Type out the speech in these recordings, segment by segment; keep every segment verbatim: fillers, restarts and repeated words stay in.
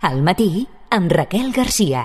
Al matí, amb Raquel Garcia.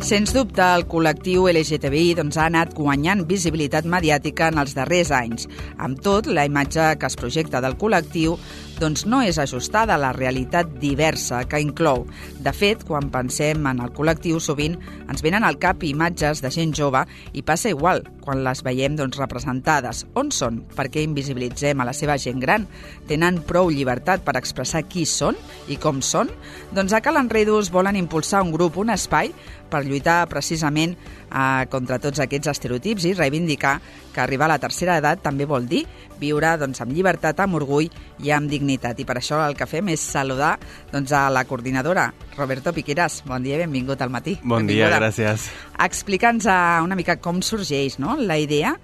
Sens dubte, el col·lectiu L G T B I doncs, ha anat guanyant visibilitat mediàtica en els darrers anys. Amb tot, la imatge que es projecta del col·lectiu doncs, no és ajustada a la realitat diversa que inclou. De fet, quan pensem en el col·lectiu, sovint ens venen al cap imatges de gent jove i passa igual quan les veiem doncs, representades. On són? Per què invisibilitzem a la seva gent gran? Tenen prou llibertat per expressar qui són i com són? Doncs a Cal Enredos volen impulsar un grup, un espai, per lluitar precisament eh, contra tots aquests estereotips i reivindicar que arribar a la tercera edat també vol dir viure doncs, amb llibertat, amb orgull i amb dignitat. I per això el que fem és saludar doncs, a la coordinadora, Roberto Piqueras. Bon dia i benvingut al matí. Bon Benvinguda. dia, gràcies. Explica'ns una mica com sorgeix, no?, la idea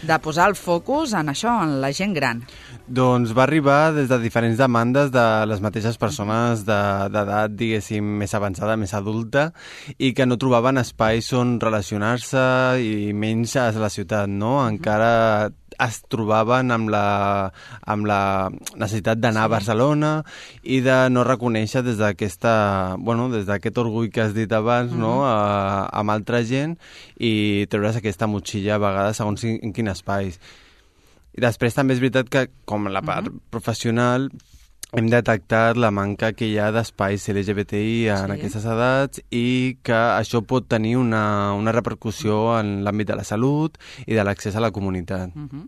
de posar el focus en això, en la gent gran. Doncs va arribar des de diferents demandes de les mateixes persones d'edat, de, diguéssim, més avançada, més adulta, i que no trobaven espais on relacionar-se i menys a la ciutat, no? Encara es trobaven amb la, amb la necessitat d'anar sí. a Barcelona i de no reconèixer des d'aquesta, bueno, des d'aquest orgull que has dit abans, mm-hmm. no?, a, amb altra gent i treure's aquesta motxilla a vegades segons en, en quin espais. I després també és veritat que, com la part uh-huh. professional, hem detectat la manca que hi ha d'espais L G B T I en sí. aquestes edats i que això pot tenir una, una repercussió en l'àmbit de la salut i de l'accés a la comunitat. Uh-huh.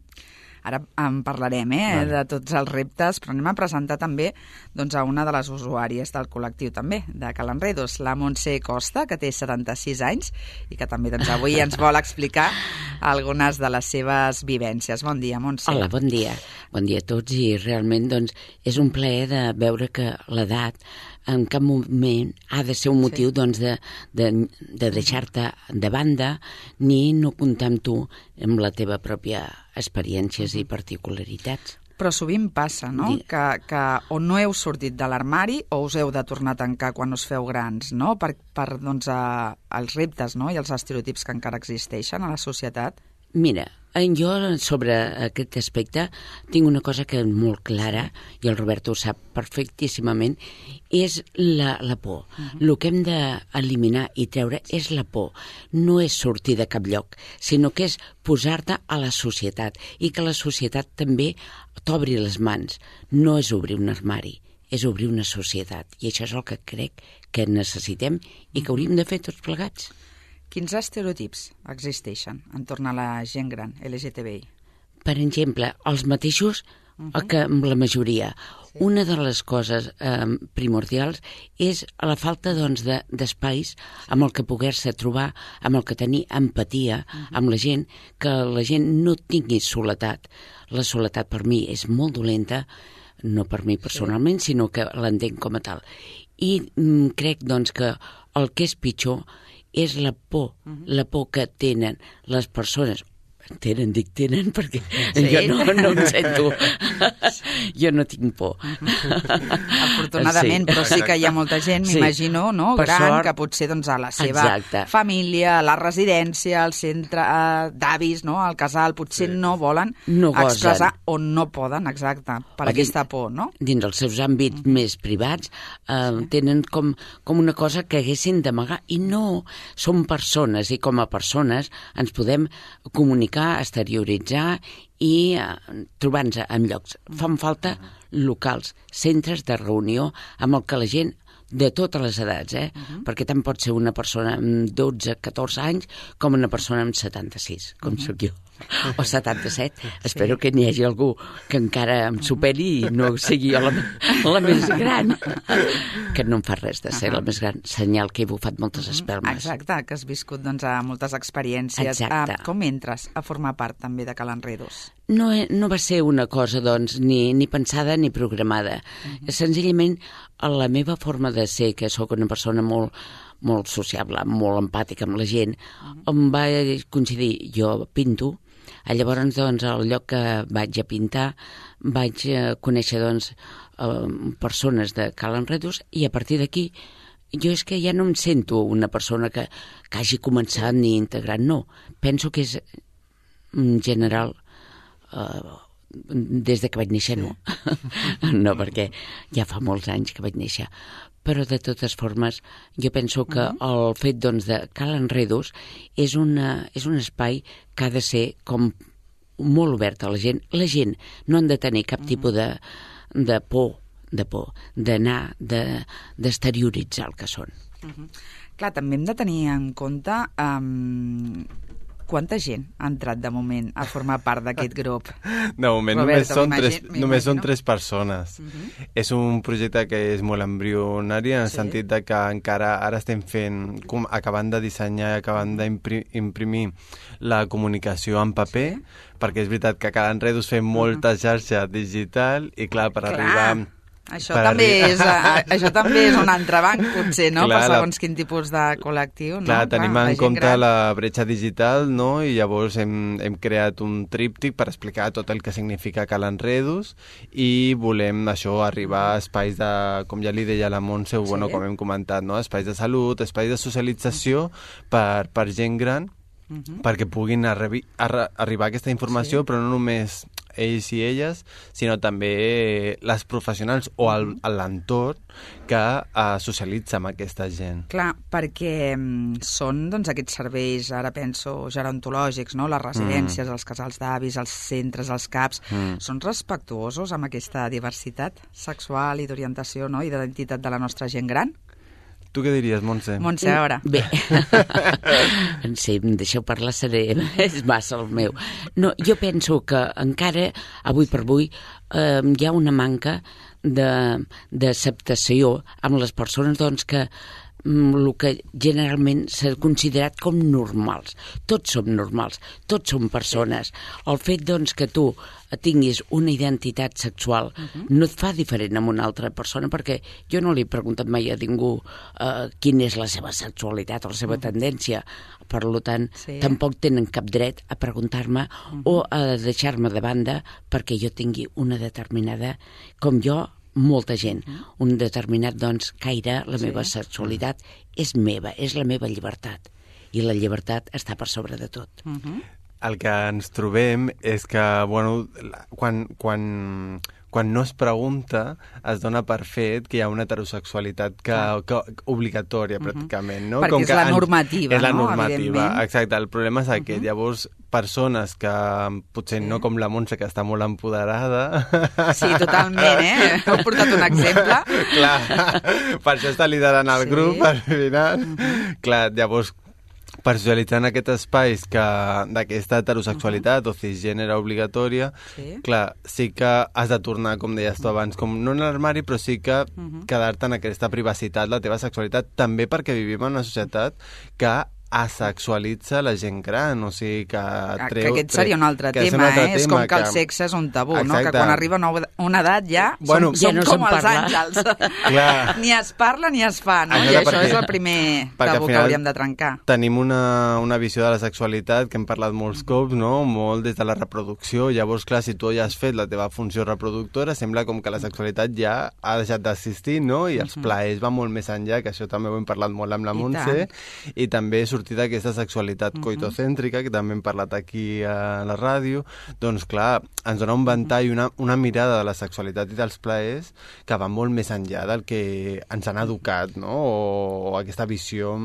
Ara en parlarem eh, vale. de tots els reptes, però anem a presentar també doncs, a una de les usuàries del col·lectiu també, de Cal Enredos, la Montse Costa, que té setanta-sis anys i que també doncs, avui ens vol explicar algunes de les seves vivències. Bon dia, Montse. Hola, bon dia. Bon dia a tots i realment doncs, és un plaer de veure que l'edat en cap moment ha de ser un motiu sí. doncs, de, de, de deixar-te de banda ni no comptar amb tu amb la teva pròpia experiències i particularitats. Però sovint passa, no?, que, que o no heu sortit de l'armari o us heu de tornar a tancar quan us feu grans, no?, per, per doncs, a, els reptes no? i els estereotips que encara existeixen a la societat. Mira, jo sobre aquest aspecte tinc una cosa que és molt clara, i el Roberto ho sap perfectíssimament, és la, la por. Uh-huh. El que hem d'eliminar i treure és la por. No és sortir de cap lloc, sinó que és posar-te a la societat i que la societat també t'obri les mans. No és obrir un armari, és obrir una societat. I això és el que crec que necessitem i que hauríem de fer tots plegats. Quins estereotips existeixen entorn a la gent gran L G T B I? Per exemple, els mateixos uh-huh. que amb la majoria. Sí. Una de les coses eh, primordials és la falta doncs, de, d'espais amb el que poder-se trobar, amb el que tenir empatia uh-huh. amb la gent, que la gent no tingui soledat. La soledat per mi és molt dolenta, no per mi personalment, sí. sinó que l'entenc com a tal. I mm, crec doncs, que el que és pitjor és la por, uh-huh. la por que tenen les persones. Tenen, dic tenen, perquè sí. jo no, no em sento... jo no tinc por. Afortunadament, sí. però sí que hi ha molta gent, sí. m'imagino, no? gran, sort, que potser doncs, a la seva exacte. família, a la residència, al centre eh, d'avis, no? al casal, potser sí. no volen no expressar o no poden, exacte, per o aquesta por, no? Dins els seus àmbits uh-huh. més privats eh, sí. tenen com, com una cosa que haguessin d'amagar, i no, som persones, i com a persones ens podem comunicar, exterioritzar i eh, trobar-nos en llocs. Fan falta locals, centres de reunió amb el que la gent de totes les edats, eh? Uh-huh. perquè tant pot ser una persona amb dotze, catorze anys com una persona amb setanta-sis, com uh-huh. sóc jo, o setanta-set. Sí. Espero que n'hi hagi algú que encara em superi i no sigui jo la, la més gran, que no em fa res de ser uh-huh. la més gran, senyal que he bufat moltes espelmes. Exacte, que has viscut doncs, a moltes experiències. Exacte. Uh, com entres a formar part també de Cal Enredos? No, no va ser una cosa, doncs, ni, ni pensada ni programada. Uh-huh. Senzillament, la meva forma de ser, que sóc una persona molt, molt sociable, molt empàtica amb la gent, uh-huh. em va coincidir, jo pinto, llavors, doncs, al lloc que vaig a pintar, vaig conèixer, doncs, persones de Cal Enredos, i a partir d'aquí jo és que ja no em sento una persona que, que hagi començat ni integrat, no. Penso que és en general, eh, des de que vaig néixer, no. No, perquè ja fa molts anys que vaig néixer. Però, de totes formes, jo penso que el fet, doncs, de Cal Enredos és, una, és un espai que ha de ser com molt obert a la gent. La gent no han de tenir cap tipus de, de por, de por, d'anar, d'exterioritzar el que són. Uh-huh. Clar, també hem de tenir en compte um, quanta gent ha entrat de moment a formar part d'aquest grup. De moment Roberto, només, són tres, només són m'imagino. tres persones. Uh-huh. És un projecte que és molt embrionari en el Sí. sentit de que encara ara estem fent, com, acabant de dissenyar i acabant d'imprimir la comunicació en paper, sí. perquè és veritat que a Cal Enredos fem molta xarxa digital i clar, per Clar. arribar... Això per també, arri- és, a, això també és un entrebanc, potser, no? Clar, per la- segons quin tipus de col·lectiu. No? Clar, tenim la en gent compte gran. la bretxa digital, no? I llavors hem, hem creat un tríptic per explicar tot el que significa Cal Enredos i volem, això, arribar a espais de, com ja li deia la Montse, sí. bueno, com hem comentat, no? Espais de salut, espais de socialització per, per gent gran, uh-huh. perquè puguin arri arri arribar a aquesta informació, sí. però no només ells i elles, sinó també les professionals o l'entorn que uh, socialitza amb aquesta gent. Clar, perquè mm, són doncs, aquests serveis, ara penso, gerontològics, no? Les residències, mm. els casals d'avis, els centres, els CAPs, mm. són respectuosos amb aquesta diversitat sexual i d'orientació, no? I d'identitat de la nostra gent gran? Tu què diries, Montse? Montse, a veure. Bé, sí, em deixeu parlar, seré, és massa el meu. No, jo penso que encara, avui per avui, eh, hi ha una manca d'acceptació amb les persones doncs, que el que generalment s'ha considerat com normals. Tots som normals, tots som persones. El fet, doncs, que tu tinguis una identitat sexual uh-huh. no et fa diferent amb una altra persona, perquè jo no li he preguntat mai a ningú uh, quina és la seva sexualitat o la seva uh-huh. tendència. Per tant, sí. tampoc tenen cap dret a preguntar-me uh-huh. o a deixar-me de banda perquè jo tingui una determinada, com jo, molta gent, uh-huh. un determinat doncs, caire, la sí. meva sexualitat és meva, és la meva llibertat. I la llibertat està per sobre de tot. Uh-huh. El que ens trobem és que, bueno, quan, quan, quan no es pregunta, es dona per fet que hi ha una heterosexualitat que, que, obligatòria, uh-huh. pràcticament, no? Perquè Com és que la ens, normativa, és la no? normativa, exacte. El problema és aquest. Uh-huh. Llavors, persones que potser sí. no com la Montse, que està molt empoderada... Sí, totalment, eh? Heu portat un exemple. Clar, per això està liderant el sí. grup, al final. Uh-huh. Clar, llavors, per socialitzar en aquests espais que d'aquesta heterosexualitat uh-huh. o cisgènere obligatòria, sí. clar, sí que has de tornar, com deies tu abans, com no en l'armari, però sí que uh-huh. quedar-te en aquesta privacitat, la teva sexualitat, també perquè vivim en una societat que asexualitza la gent gran, o sigui que treu... Que aquest seria un altre tema, un altre eh? Tema, és com que, que el sexe és un tabú, exacte. No? Que quan arriba una, una edat ja bueno, som, ja no som com els parla. àngels. Clar. Ni es parla ni es fa, no? Això I això perquè, és el primer tabú que hauríem de trencar. Tenim una, una visió de la sexualitat que hem parlat molts cops, no? Molt des de la reproducció. Llavors, clar, si tu ja has fet la teva funció reproductora, sembla com que la sexualitat ja ha deixat d'existir, no? I els plaers van molt més enllà, que això també ho hem parlat molt amb la Montse, i, i també sortir d'aquesta sexualitat Uh-huh. coitocèntrica, que també hem parlat aquí a la ràdio, doncs clar, ens dona un ventall, una, una mirada de la sexualitat i dels plaers que va molt més enllà del que ens han educat, no? O, o aquesta visió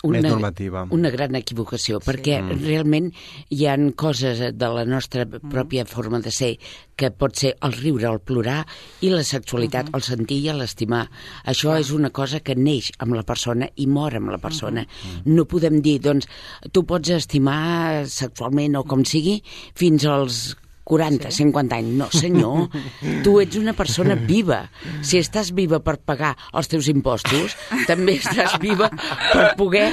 una, més normativa. Una gran equivocació, perquè sí. realment hi ha coses de la nostra pròpia forma de ser que pot ser el riure, el plorar, i la sexualitat, uh-huh. el sentir i l'estimar. Això uh-huh. és una cosa que neix amb la persona i mor amb la persona. Uh-huh. No podem dir, doncs, tu pots estimar sexualment o com sigui fins als quaranta, sí? cinquanta anys. No, senyor, tu ets una persona viva. Si estàs viva per pagar els teus impostos, també estàs viva per poder,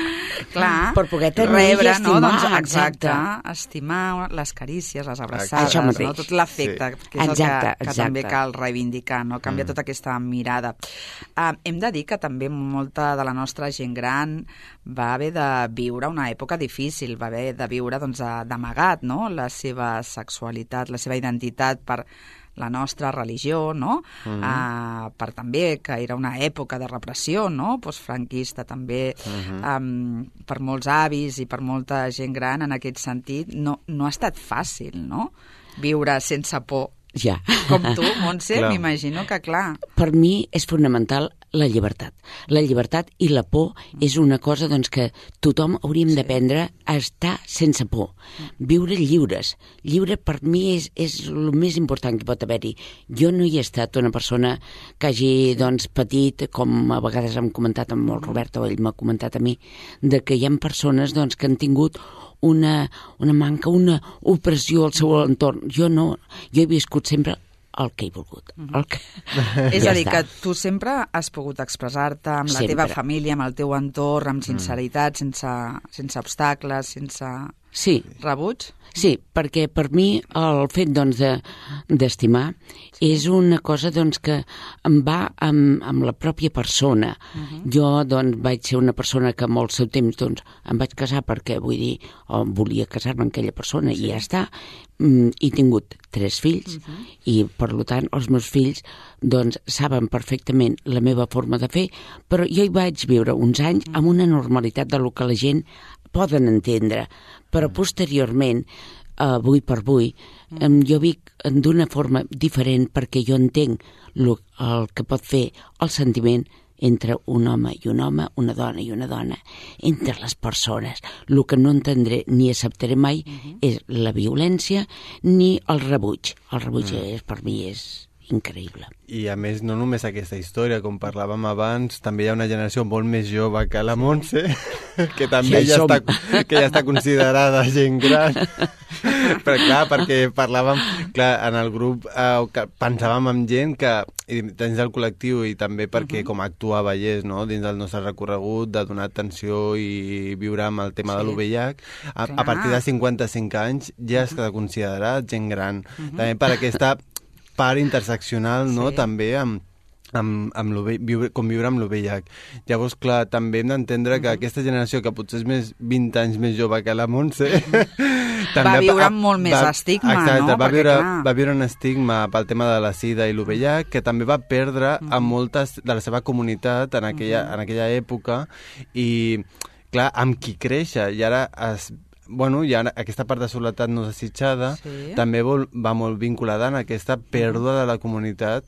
clar, per poder tenir rebre, i estimar. No? Doncs, exacte, exacte, estimar les carícies, les abraçades, no? Tot l'afecte, sí. que és exacte, el que, que exacte. també cal reivindicar, no? Canviar mm. tota aquesta mirada. Uh, hem de dir que també molta de la nostra gent gran va haver de viure una època difícil, va haver de viure doncs, d'amagat, no? La seva sexualitat, la seva identitat per la nostra religió, no? Mm-hmm. Uh, per també que era una època de repressió, no? Postfranquista també, mm-hmm. um, per molts avis i per molta gent gran en aquest sentit, no, no ha estat fàcil, no? Viure sense por. Ja. Com tu, Montse, m'imagino que, clar... Per mi és fonamental la llibertat. La llibertat i la por és una cosa doncs, que tothom hauríem sí. d'aprendre a estar sense por. Viure lliures. Lliure per mi és, és el més important que pot haver-hi. Jo no hi he estat una persona que hagi doncs, patit, com a vegades hem comentat amb el Robert, o ell m'ha comentat a mi, de que hi ha persones doncs, que han tingut una, una manca, una opressió al seu entorn. Jo no, jo he viscut sempre el que he volgut. El que... És ja a dir, està. que tu sempre has pogut expressar-te amb la Sempre. teva família, amb el teu entorn, amb sinceritat, sense, sense obstacles, sense Sí. rebuig? Sí, perquè per mi el fet doncs, de, d'estimar és una cosa doncs, que em va amb, amb la pròpia persona. Uh-huh. Jo doncs, vaig ser una persona que amb el seu temps doncs, em vaig casar perquè vull dir, o volia casar-me amb aquella persona sí. i ja està. Mm, he tingut tres fills uh-huh. i per tant els meus fills doncs, saben perfectament la meva forma de fer, però jo hi vaig viure uns anys uh-huh. amb una normalitat de lo que la gent poden entendre, però posteriorment, avui per avui, jo vic d'una forma diferent perquè jo entenc el que pot fer el sentiment entre un home i un home, una dona i una dona, entre les persones. El que no entendré ni acceptaré mai uh-huh. és la violència ni el rebuig. El rebuig uh-huh. és, per mi és increïble. I a més, no només aquesta història, com parlàvem abans, també hi ha una generació molt més jove que la Montse, que també ja, ja, està, que ja està considerada gent gran. Però clar, perquè parlàvem, clar, en el grup eh, que pensàvem en gent que dins del col·lectiu i també perquè uh-huh. com actua a Vallès, no? Dins del nostre recorregut de donar atenció i viure amb el tema sí. de l'U V I H, a, a partir de cinquanta-cinc anys ja està considerat gent gran. Uh-huh. També per aquesta part interseccional, no? Sí. També amb, amb, amb viure, com viure amb l'U V I H. Llavors, clar, també hem d'entendre que uh-huh. aquesta generació, que potser és més vint anys més jove que la Montse, també va viure amb molt més va, estigma, exacte, no? Va viure, Perquè, va viure un estigma pel tema de la sida i l'U V I H, que també va perdre uh-huh. a moltes de la seva comunitat en aquella, uh-huh. en aquella època, i, clar, amb qui créixer, i ara es bueno, ja aquesta part de soledat no desitjada sí. també vol, va molt vinculada en aquesta pèrdua de la comunitat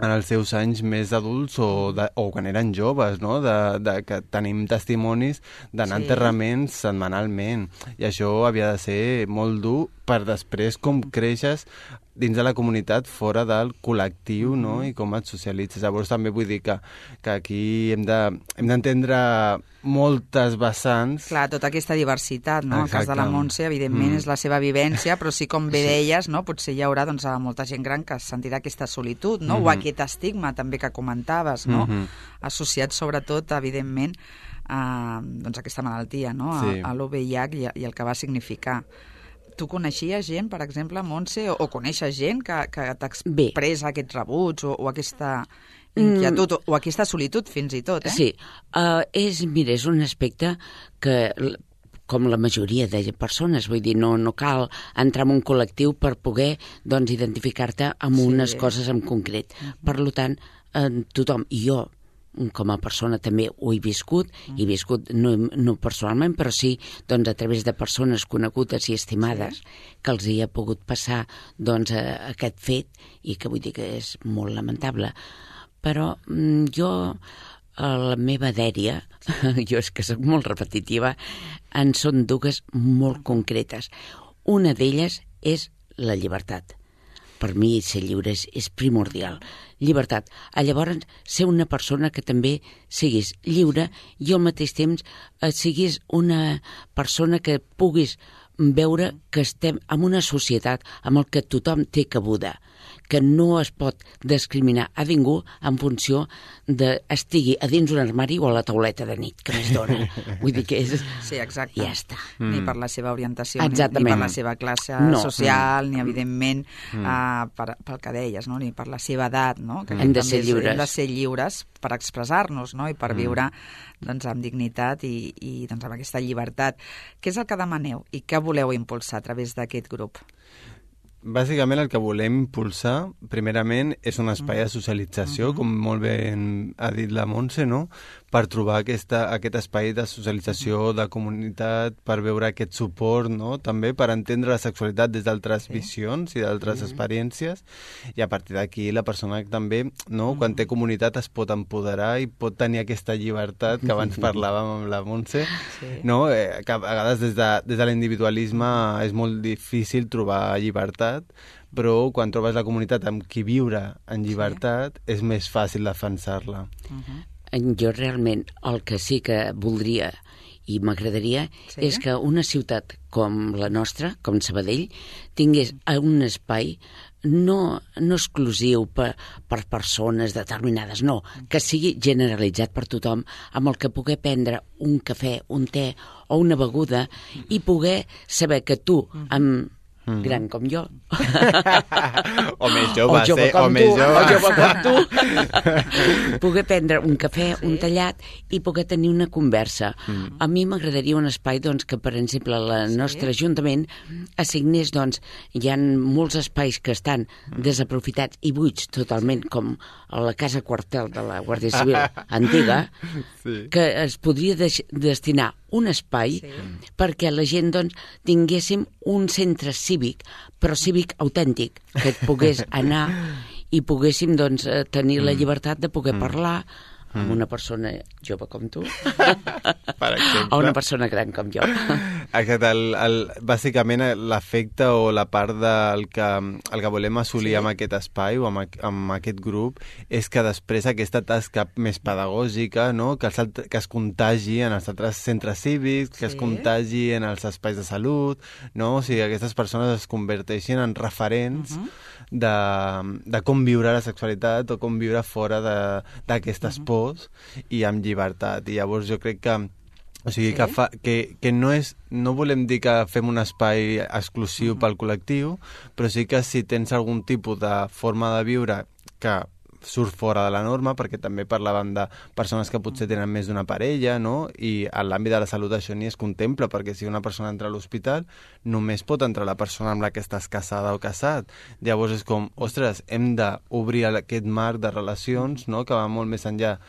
en els seus anys més adults o, de, o quan eren joves, no? De, de, que tenim testimonis d'anar sí. a enterraments setmanalment, i això havia de ser molt dur per després com creixes dins de la comunitat fora del col·lectiu, mm-hmm. no? I com et socialitzes. Llavors també vull dir que, que aquí hem de, hem d'entendre moltes vessants. Clar, tota aquesta diversitat, no? Exacte. El cas de la Montse, evidentment, mm. és la seva vivència, però sí, com bé deies, no? Potser hi haurà doncs, molta gent gran que sentirà aquesta solitud, no? Mm-hmm. O aquest estigma també que comentaves, no? Mm-hmm. Associat sobretot, evidentment, a doncs, aquesta malaltia, no? Sí. A, a l'U V I H i, i el que va significar. Tu coneixies gent, per exemple, Montse, o, o coneixes gent que, que t'expressa aquest rebuig o, o aquesta inquietud mm. o, o aquesta solitud fins i tot, eh? Sí, uh, és, mira, és un aspecte que, com la majoria de persones, vull dir, no, no cal entrar en un col·lectiu per poder doncs, identificar-te amb sí. unes coses en concret. Uh-huh. Per tant, uh, tothom, i jo, com a persona també ho he viscut, mm. he viscut no, no personalment, però sí doncs, a través de persones conegudes i estimades sí. que els hi ha pogut passar doncs, a, a aquest fet, i que vull dir que és molt lamentable. Però mm, jo, a la meva dèria, jo és que soc molt repetitiva, en són dues molt concretes. Una d'elles és la llibertat. Per mi ser lliure és, és primordial. Llibertat. A llavors, ser una persona que també siguis lliure i al mateix temps eh, siguis una persona que puguis veure que estem en una societat amb el que tothom té cabuda, que no es pot discriminar a ningú en funció de estigui a dins un armari o a la tauleta de nit, que més dona. Vull dir que és... Sí, exacte. Ja està. Mm. Ni per la seva orientació, ni, Exactament. ni per la seva classe no. social, mm. ni, evidentment, mm. uh, per, pel que deies, no? Ni per la seva edat, no? Que hem de ser lliures. Hem de ser lliures per expressar-nos, no? I per mm. viure doncs, amb dignitat i, i doncs, amb aquesta llibertat. Què és el que demaneu i què voleu impulsar a través d'aquest grup? bàsicament el que volem impulsar, primerament, és un espai de socialització, com molt bé ha dit la Montse, no? Per trobar aquesta, aquest espai de socialització, de comunitat, per veure aquest suport, no? També per entendre la sexualitat des d'altres sí. visions i d'altres mm-hmm. experiències, i a partir d'aquí la persona també, no? Mm. Quan té comunitat es pot empoderar i pot tenir aquesta llibertat que abans parlàvem amb la Montse, sí. no? Eh, que a vegades des de, des de l'individualisme és molt difícil trobar llibertat, però quan trobes la comunitat amb qui viure en llibertat sí. és més fàcil defensar-la. Uh-huh. Jo realment el que sí que voldria i m'agradaria sí? és que una ciutat com la nostra, com Sabadell, tingués un espai no, no exclusiu per, per persones determinades, no, que sigui generalitzat per tothom, amb el que poder prendre un cafè, un te o una beguda i poder saber que tu, amb Mm. gran com jo. o més jove, o jove eh? com o tu, més jove. o jove com tu. Poder prendre un cafè, sí. un tallat i poder tenir una conversa. Mm. A mi m'agradaria un espai doncs, que, per exemple, el sí. nostre Ajuntament assignés, doncs, hi ha molts espais que estan mm. desaprofitats i buits totalment, com a la casa quartel de la Guàrdia Civil antiga, sí. que es podria de destinar un espai sí. perquè la gent doncs, tinguéssim un centre cívic, però cívic autèntic, que et pogués anar i poguéssim doncs, tenir la llibertat de poder parlar amb una persona jove com tu per exemple. o una persona gran com jo. Exacte, el, el, bàsicament l'efecte o la part del que, el que volem assolir sí. amb aquest espai o amb, amb aquest grup és que després aquesta tasca més pedagògica, no? que, els, que es contagi en els altres centres cívics, que sí. es contagi en els espais de salut, no? O sigui, aquestes persones es converteixin en referents uh-huh. de, de com viure la sexualitat o com viure fora d'aquestes uh-huh. pors i amb llibertat. I llavors jo crec que o sigui, sí. que, fa, que, que no és no volem dir que fem un espai exclusiu uh-huh. pel col·lectiu, però sí que si tens algun tipus de forma de viure que surt fora de la norma, perquè també parlàvem de persones que potser tenen més d'una parella, no? I en l'àmbit de la salut això ni es contempla, perquè si una persona entra a l'hospital només pot entrar la persona amb la que estàs casada o casat. Llavors és com, ostres, hem d'obrir aquest marc de relacions, no? que va molt més enllà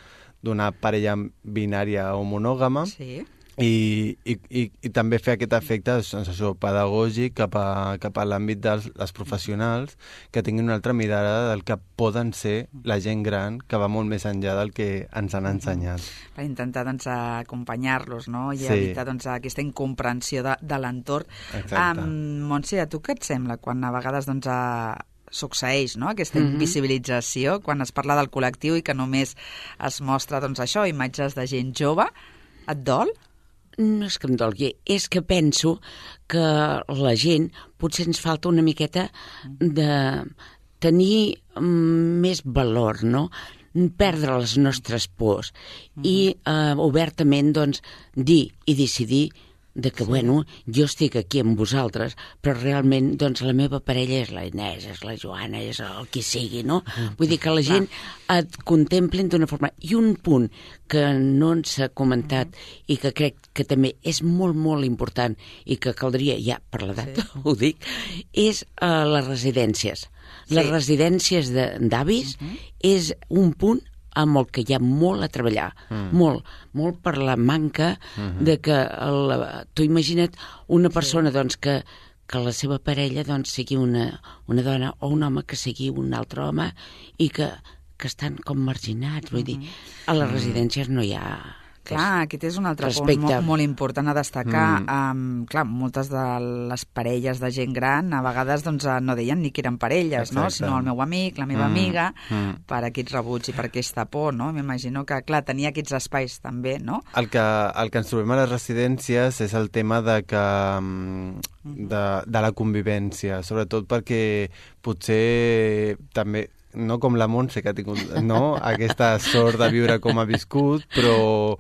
d'una parella binària o monògama, sí. I, i, i, i també fer aquest efecte doncs, això, pedagògic cap a, cap a l'àmbit dels les professionals que tinguin una altra mirada del que poden ser la gent gran, que va molt més enllà del que ens han ensenyat. Per intentar doncs, acompanyar-los, no? I sí. evitar doncs, aquesta incomprensió de, de l'entorn. Um, Montse, a tu què et sembla quan a vegades doncs, a succeeix, no? Aquesta mm-hmm. invisibilització, quan es parla del col·lectiu i que només es mostra doncs, això, imatges de gent jove? Et dol? No és que em dolgui, és que penso que la gent potser ens falta una miqueta de tenir més valor, no? Perdre les nostres pors mm-hmm. i eh, obertament doncs, dir i decidir de que, sí. bueno, jo estic aquí amb vosaltres, però realment, doncs, la meva parella és la Inés, és la Joana, és el qui sigui, no? Vull dir que la gent et contemplin d'una forma. I un punt que no ens ha comentat mm. i que crec que també és molt, molt important i que caldria, ja per l'edat sí. ho dic, és uh, les residències. Sí. Les residències d'avis mm-hmm. és un punt amb el que hi ha molt a treballar, mm. molt, molt per la manca mm-hmm. de que, el, tu imagina't una persona sí. doncs, que, que la seva parella doncs, sigui una, una dona o un home que sigui un altre home i que, que estan com marginats, vull mm-hmm. dir, a les residències no hi ha... Clar, aquest és un altre respecte. punt molt, molt important a destacar. Mm. Um, clar, moltes de les parelles de gent gran a vegades doncs, no deien ni que eren parelles, no? Sinó el meu amic, la meva mm. amiga, mm. per aquest rebuig i per aquesta por, no? M'imagino que, clar, tenia aquests espais també, no? El que, el que ens trobem a les residències és el tema de que de, de la convivència, sobretot perquè potser també no com la Montse, que ha tingut no, aquesta sort de viure com ha viscut, però,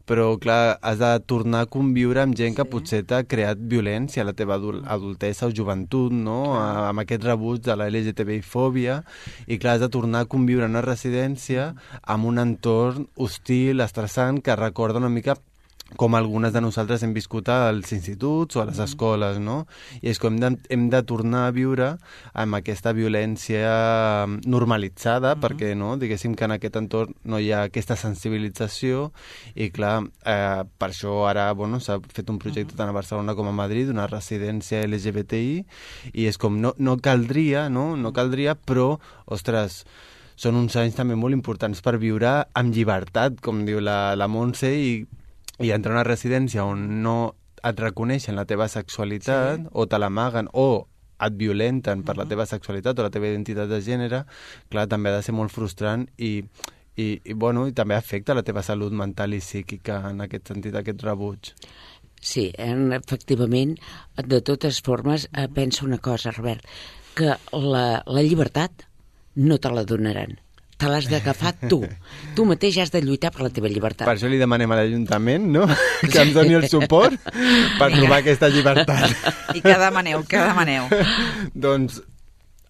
però clar, has de tornar a conviure amb gent que sí. potser t'ha creat violència a la teva adul adultesa o joventut, no? Ah. Amb aquest rebuig de la L G T B I-fòbia, i clar, has de tornar a conviure en una residència amb un entorn hostil, estressant, que recorda una mica com algunes de nosaltres hem viscut als instituts o a les escoles, no? I és com hem de, hem de tornar a viure amb aquesta violència normalitzada, mm-hmm. perquè, no?, diguéssim que en aquest entorn no hi ha aquesta sensibilització i, clar, eh, per això ara, bueno, s'ha fet un projecte tant a Barcelona com a Madrid, una residència L G B T I, i és com, no, no caldria, no?, no caldria, però, ostres, són uns anys també molt importants per viure amb llibertat, com diu la, la Montse, i i entrar a una residència on no et reconeixen la teva sexualitat, sí. o te l'amaguen, o et violenten per la teva sexualitat o la teva identitat de gènere, clar, també ha de ser molt frustrant i, i, i, bueno, i també afecta la teva salut mental i psíquica en aquest sentit, aquest rebuig. Sí, efectivament, de totes formes, eh, penso una cosa, Robert, que la, la llibertat no te la donaran. Te l'has d'agafar tu. Tu mateix has de lluitar per la teva llibertat. Per això li demanem a l'Ajuntament, no?, que ens doni el suport per trobar aquesta llibertat. I què demaneu? Què demaneu? Doncs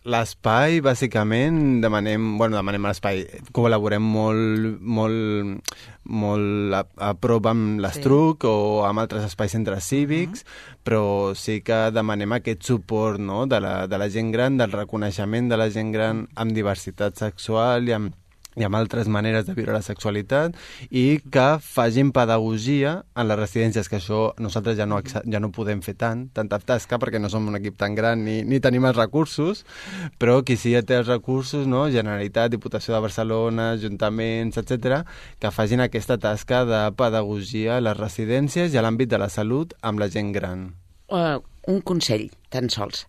l'espai, bàsicament, demanem, bueno, demanem l'espai, col·laborem molt, molt, molt a, a prop amb l'Estruc, sí. o amb altres espais centres cívics, uh-huh. però sí que demanem aquest suport, no?, de la, de la gent gran, del reconeixement de la gent gran amb diversitat sexual i amb i amb altres maneres de viure la sexualitat, i que facin pedagogia en les residències, que això nosaltres ja no, ja no podem fer tant, tanta tasca, perquè no som un equip tan gran ni, ni tenim els recursos, però qui sí ja té els recursos, no? Generalitat, Diputació de Barcelona, ajuntaments, etcètera, que facin aquesta tasca de pedagogia a les residències i a l'àmbit de la salut amb la gent gran. Uh, un consell, tan sols.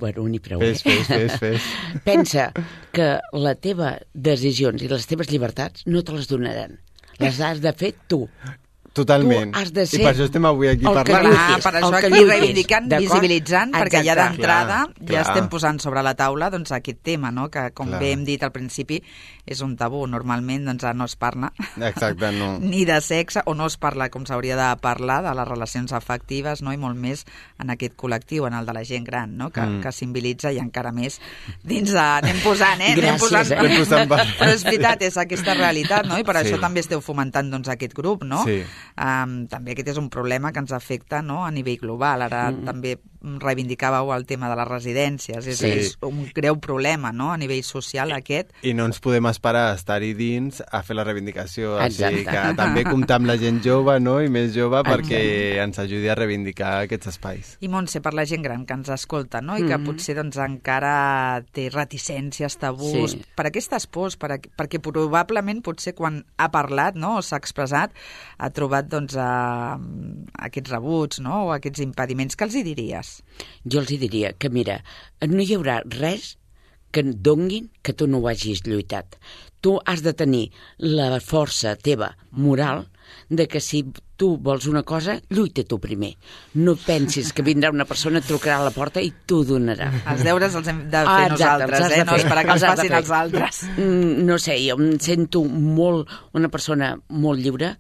Bueno, ni prou, fes, eh? Fes, fes, fes. Pensa que les teves decisions i les teves llibertats no te les donaran. Les has de fer tu. Totalment. Tu has de ser... I per això estem avui aquí parlant. Clar, per això aquí reivindicant, visibilitzant, perquè ja d'entrada ja estem posant sobre la taula doncs, aquest tema, no?, que com clar. bé hem dit al principi és un tabú. Normalment doncs, no es parla Exacte, no. ni de sexe, o no es parla com s'hauria de parlar de les relacions afectives, no?, i molt més en aquest col·lectiu, en el de la gent gran, no?, que, mm. que simbolitza i encara més dins de... Anem posant, eh? Gràcies, anem posant, eh? Anem posant... Però és veritat, és aquesta realitat, no?, i per sí. això també esteu fomentant doncs, aquest grup, no? Sí. Um, també aquest és un problema que ens afecta, no?, a nivell global. Ara mm. també reivindicàveu el tema de les residències. És, sí. és un greu problema, no?, a nivell social aquest. I no ens podem esperar a estar-hi dins a fer la reivindicació. Exacte. Així que també comptar amb la gent jove, no?, i més jove, perquè Exacte. ens ajudi a reivindicar aquests espais. I Montse, per la gent gran que ens escolta, no?, i que mm. potser doncs, encara té reticències, tabús, sí. per aquestes pors, per, perquè probablement potser quan ha parlat, no?, o s'ha expressat, ha trobat doncs, a, a aquests rebuts, no?, o aquests impediments. Què els hi diries? Jo els hi diria que, mira, no hi haurà res que et donguin que tu no ho hagis lluitat. Tu has de tenir la força teva moral de que si tu vols una cosa, lluita tu primer. No pensis que vindrà una persona, et trucarà a la porta i t'ho donarà. Els deures els hem de fer ah, exacte, nosaltres, eh? No esperar que els facin els altres. No sé, jo em sento molt una persona molt lliure,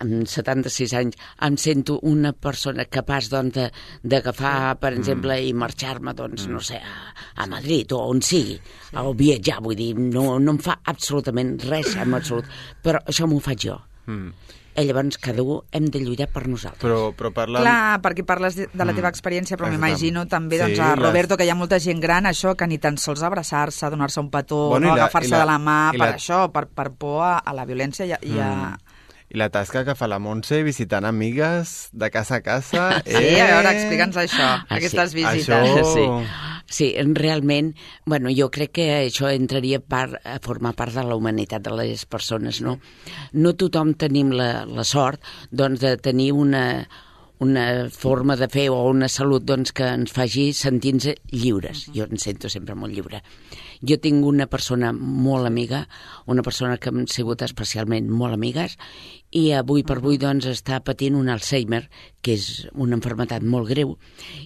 amb setanta-sis anys, em sento una persona capaç doncs, d'agafar, per exemple, mm. i marxar-me, doncs, no sé, a, a Madrid o on sigui, sí. o viatjar, vull dir, no, no em fa absolutament res, en absolut, però això m'ho faig jo. Mm. I llavors cada un hem de lluitar per nosaltres. Però, però parlant... Clar, perquè parles de, de la teva experiència, però mm. m'imagino també doncs, sí, a Roberto, les... que hi ha molta gent gran, això, que ni tan sols abraçar-se, donar-se un petó, bueno, no agafar-se de la mà, per la... això, per, per por a, a la violència i a... Mm. I a... I la tasca que fa la Montse visitant amigues de casa a casa... Sí, eh... a veure, explica'ns això, ah, aquestes sí. visites. Això... Sí. Sí, realment, bueno, jo crec que això entraria part, a formar part de la humanitat de les persones, no? No tothom tenim la, la sort, doncs, de tenir una, una forma de fer o una salut doncs, que ens faci sentir-nos lliures. Jo em sento sempre molt lliure. Jo tinc una persona molt amiga, una persona que hem sigut especialment molt amigues, i avui per avui doncs, està patint un Alzheimer, que és una malaltia molt greu,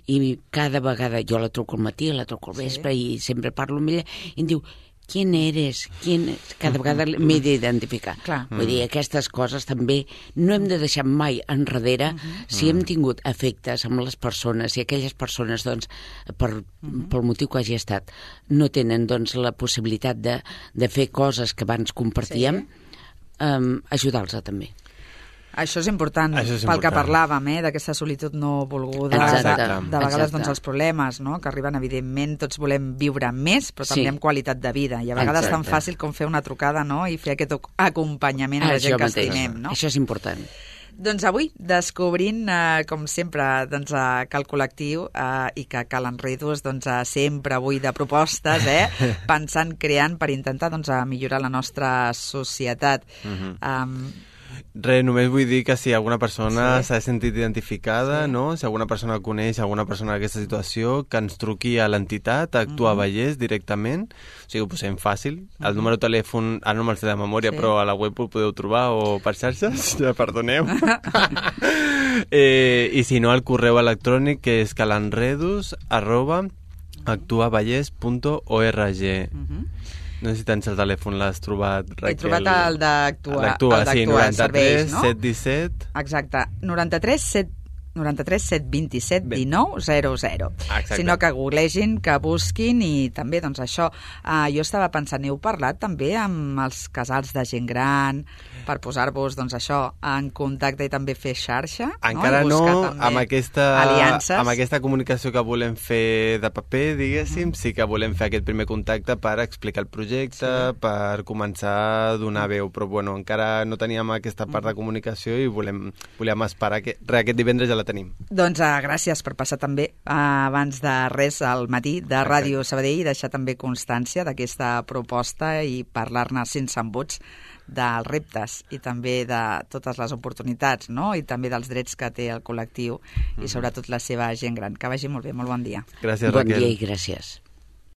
i cada vegada jo la truco al matí, la truco al vespre, sí. i sempre parlo amb ella, i em diu, ¿quién eres? ¿Quién es? Cada vegada m'he d'identificar. Clar. Vull dir, aquestes coses també no hem de deixar mai enrere. Uh-huh. Si hem tingut efectes amb les persones i aquelles persones, doncs, per, uh-huh. pel motiu que hagi estat, no tenen doncs, la possibilitat de, de fer coses que abans compartíem, sí. um, ajudar-los també. Això és important, Això és pel important. que parlàvem, eh, d'aquesta solitud no volguda, Exacte. de, de vegades Exacte. doncs, els problemes no, que arriben, evidentment, tots volem viure més, però també Sí. amb qualitat de vida, i a vegades és tan Exacte. fàcil com fer una trucada no, i fer aquest acompanyament a la Això gent que mateix. estimem. No? Això és important. Doncs avui, descobrint, eh, com sempre, doncs, eh, que el col·lectiu eh, i que Cal Enredos doncs, eh, sempre avui de propostes, eh, pensant, creant per intentar doncs, eh, millorar la nostra societat. Mhm. Um, Res, només vull dir que si alguna persona Sí. s'ha sentit identificada, Sí. no? Si alguna persona coneix alguna persona d'aquesta situació, que ens truqui a l'entitat, a Actua Mhm. Vallès directament, o sigui, ho posem fàcil. El número de telèfon, ara no me'l sé de memòria, Sí. però a la web ho podeu trobar o per xarxes, ja perdoneu. eh, I si no, el correu electrònic, que és calenredos arroba actuavallès punt org. uh-huh. No sé si tens el telèfon, l'has trobat, Raquel. He trobat el d'Actua, L'Actua, el sí, d'Actua noranta-tres Serveis, no? set disset. Exacte, noranta-tres set noranta-tres set vint-i-set dinou zero zero. Exacte. Sinó que googlegin, que busquin i també, doncs això, eh, jo estava pensant, heu parlat també amb els casals de gent gran per posar-vos, doncs això, en contacte i també fer xarxa? Encara I no, buscar també amb aquesta, aliances. amb aquesta comunicació que volem fer de paper, diguéssim, Mm. sí que volem fer aquest primer contacte per explicar el projecte, Sí. per començar a donar veu, però bueno, encara no teníem aquesta part Mm. de comunicació i volem, volem esperar que re, aquest divendres ja la tenim. Doncs uh, gràcies per passar també uh, abans de res al matí de Ràdio Sabadell i deixar també constància d'aquesta proposta i parlar-ne sense embuts dels reptes i també de totes les oportunitats, no? I també dels drets que té el col·lectiu i sobretot la seva gent gran. Que vagi molt bé, molt bon dia. Gràcies, Bon Raquel. dia i gràcies.